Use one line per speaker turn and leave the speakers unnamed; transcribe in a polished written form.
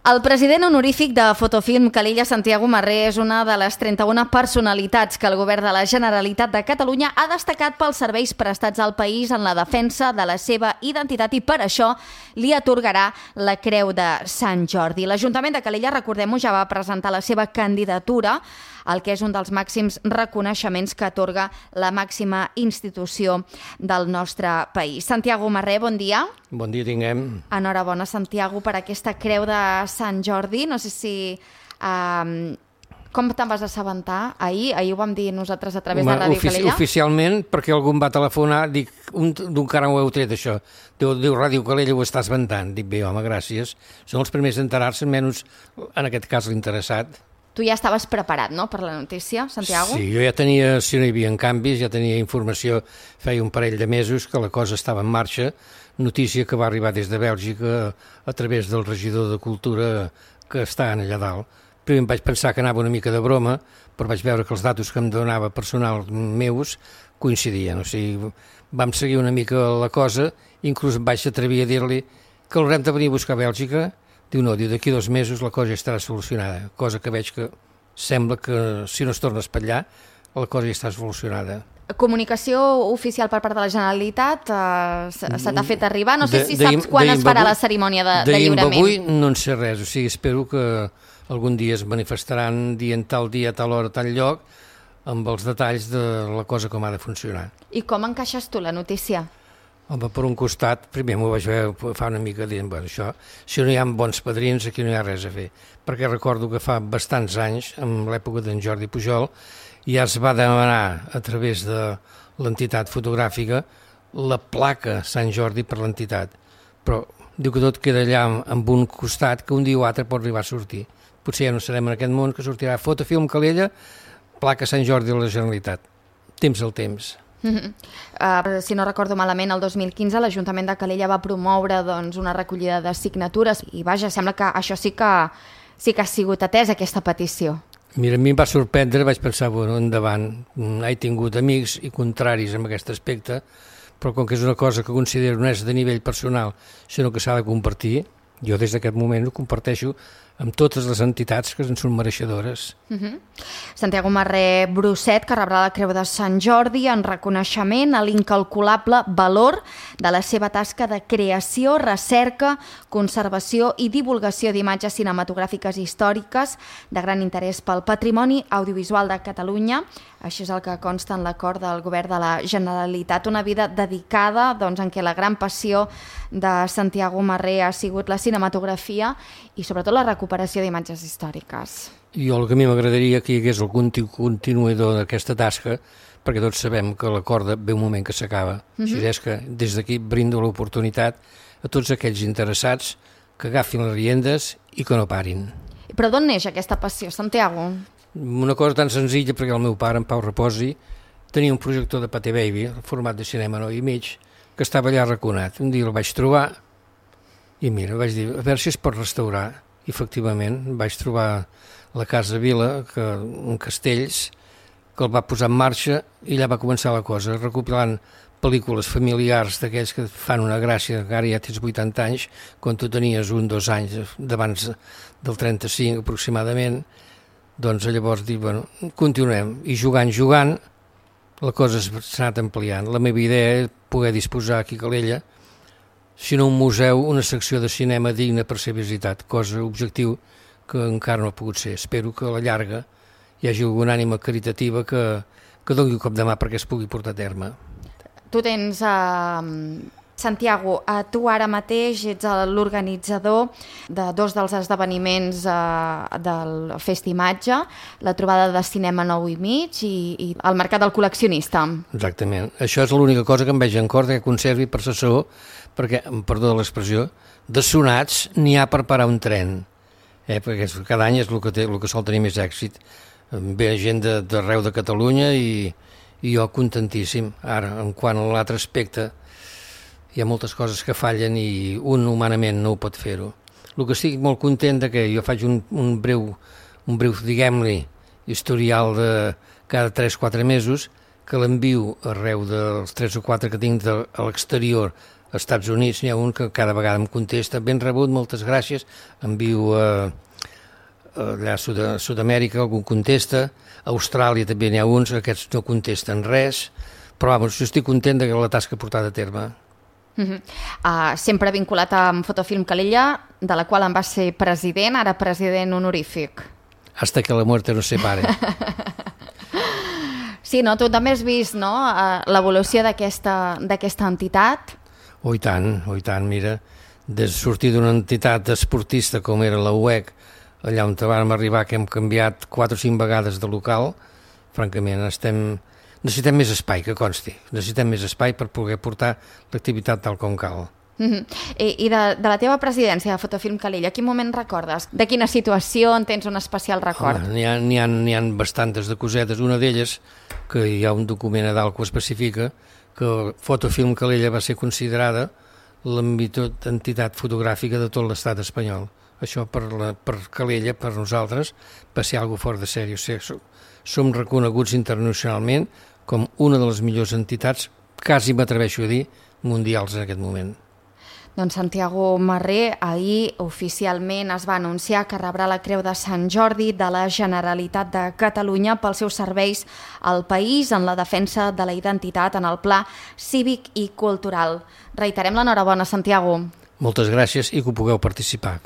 El president honorífic de Fotofilm Calella, Santiago Marré, és una de les 31 personalitats que el govern de la Generalitat de Catalunya ha destacat pels serveis prestats al país en la defensa de la seva identitat i per això li atorgarà la Creu de Sant Jordi. L'Ajuntament de Calella, recordem-ho, ja va presentar la seva candidatura al que és un dels màxims reconeixements que atorga la màxima institució del nostre país. Santiago Marré, bon dia.
Bon dia tinguem.
Enhorabona, Santiago, per aquesta Creu de Sant Jordi. No sé si... com te'n vas assabentar ahir? Ahir ho vam dir nosaltres a través de Ràdio Calella.
Oficialment, perquè algú em va telefonar, dic, d'un cara ho heu tret, això. Diu, Ràdio Calella ho està esventant. Dic, bé, home, gràcies. Són els primers a enterar-se, menys en aquest cas l'interessat.
Tu ja estaves preparat, no?, per la notícia, Santiago?
Sí, jo ja tenia, si no hi havia canvis, ja tenia informació, feia un parell de mesos que la cosa estava en marxa, notícia que va arribar des de Bèlgica a través del regidor de Cultura que està allà dalt. Primer em vaig pensar que anava una mica de broma, però vaig veure que els datos que em donava personal meus coincidien. O sigui, vam seguir una mica la cosa, inclús em vaig atrevir a dir-li que l'haurem de venir a buscar a Bèlgica. Diu, no, d'aquí 2 mesos la cosa ja estarà solucionada, cosa que veig que sembla que si no es torna a espatllar, la cosa ja està solucionada.
Comunicació oficial per part de la Generalitat se t'ha fet arribar? No sé si saps quan es farà la cerimònia de lliurament.
Avui no en sé res, o sigui, espero que algun dia es manifestaran dient tal dia, tal hora, tal lloc, amb els detalls de la cosa com ha de funcionar.
I com encaixes tu la notícia?
Home, per un costat, primer m'ho vaig veure fa una mica dient, bueno, això, si no hi ha bons padrins, aquí no hi ha res a fer. Perquè recordo que fa bastants anys, en l'època d'en Jordi Pujol, ja es va demanar a través de l'entitat fotogràfica la placa Sant Jordi per l'entitat. Però diu que tot queda allà amb un costat que un dia o altre pot arribar a sortir. Potser ja no serem en aquest món, que sortirà Fotofilm Calella, placa Sant Jordi de la Generalitat. Temps al temps.
Si no recordo malament, el 2015 l'Ajuntament de Calella va promoure una recollida de signatures i vaja, sembla que això sí que ha sigut atès, aquesta petició.
Mira, a mi em va sorprendre, vaig pensar, bueno, endavant, he tingut amics i contraris en aquest aspecte, però com que és una cosa que considero no és de nivell personal, sinó que s'ha de compartir, jo des d'aquest moment ho comparteixo amb totes les entitats que en són mereixedores.
Santiago Marré Brusset, que rebrà la Creu de Sant Jordi en reconeixement a l'incalculable valor de la seva tasca de creació, recerca, conservació i divulgació d'imatges cinematogràfiques històriques de gran interès pel patrimoni audiovisual de Catalunya. Això és el que consta en l'acord del govern de la Generalitat. Una vida dedicada en què la gran passió de Santiago Marré ha sigut la cinematografia i sobretot la recuperació d'imatges històriques.
Jo el que a mi m'agradaria que hi hagués el continuador d'aquesta tasca, perquè tots sabem que la corda ve un moment que s'acaba. Així és que des d'aquí brindo l'oportunitat a tots aquells interessats que agafin les riendes i que no parin.
Però d'on neix aquesta passió, Santiago?
Una cosa tan senzilla, perquè el meu pare, en Pau Reposi, tenia un projector de Pathé Baby, format de cinema 9,5, que estava allà arraconat. Un dia el vaig trobar i mira, vaig dir, a veure si es pot restaurar. I efectivament vaig trobar la Casa Vila, un Castells, que el va posar en marxa i allà va començar la cosa, recopilant pel·lícules familiars d'aquells que fan una gràcia, que ara ja tens 80 anys, quan tu tenies 1 o 2 anys d'abans del 35 aproximadament, doncs llavors dic, bueno, continuem, i jugant, la cosa s'ha anat ampliant. La meva idea és poder disposar aquí a Calella, si no un museu, una secció de cinema digna per ser visitat, cosa, objectiu, que encara no ha pogut ser. Espero que a la llarga hi hagi alguna ànima caritativa que doni un cop de mà perquè es pugui portar a terme.
Tu tens... Santiago, tu ara mateix ets l'organitzador de 2 dels esdeveniments del Festimatge, la trobada de cinema 9,5 i el mercat del col·leccionista.
Exactament. Això és l'única cosa que em veig en cor que conservi per assessor, perquè, perdó de l'expressió, de sonats n'hi ha per parar un tren. Perquè cada any és el que sol tenir més èxit. Ve gent d'arreu de Catalunya i jo contentíssim. Ara, en quant a l'altre aspecte, hi ha moltes coses que fallen i un humanament no ho pot fer-ho. El que estic molt content que jo faig un breu, diguem-li, historial de cada 3-4 mesos, que l'envio arreu dels 3 o 4 que tinc a l'exterior als Estats Units n'hi ha un que cada vegada em contesta, ben rebut, moltes gràcies, envio allà a Sud-amèrica, algú contesta, a Austràlia també n'hi ha uns, aquests no contesten res, però vamos, jo estic content de la tasca portada a terme.
Sempre vinculat amb Fotofilm Calella, de la qual en va ser president, ara president honorífic.
Hasta que la muerte nos separe.
Sí, no? Tu també has vist, no?, l'evolució d'aquesta entitat.
I tant, mira, de sortir d'una entitat esportista com era la UEC, allà on vam arribar, que hem canviat 4 o 5 vegades de local, francament necessitem més espai, que consti, necessitem més espai per poder portar l'activitat tal com cal.
I de la teva presidència de Fotofilm Calella, a quin moment recordes? De quina situació en tens un especial record?
N'hi ha bastantes de cosetes. Una d'elles, que hi ha un document a dalt que ho especifica, que Fotofilm Calella va ser considerada la millor entitat fotogràfica de tot l'estat espanyol. Això per Calella, per nosaltres, va ser algo fort de sèrie. O sigui, som reconeguts internacionalment com una de les millors entitats, quasi m'atreveixo a dir, mundials en aquest moment.
Doncs Santiago Marré, ahir oficialment es va anunciar que rebrà la Creu de Sant Jordi de la Generalitat de Catalunya pels seus serveis al país en la defensa de la identitat en el pla cívic i cultural. Reiterem l'enhorabona, Santiago.
Moltes gràcies i que ho pugueu participar.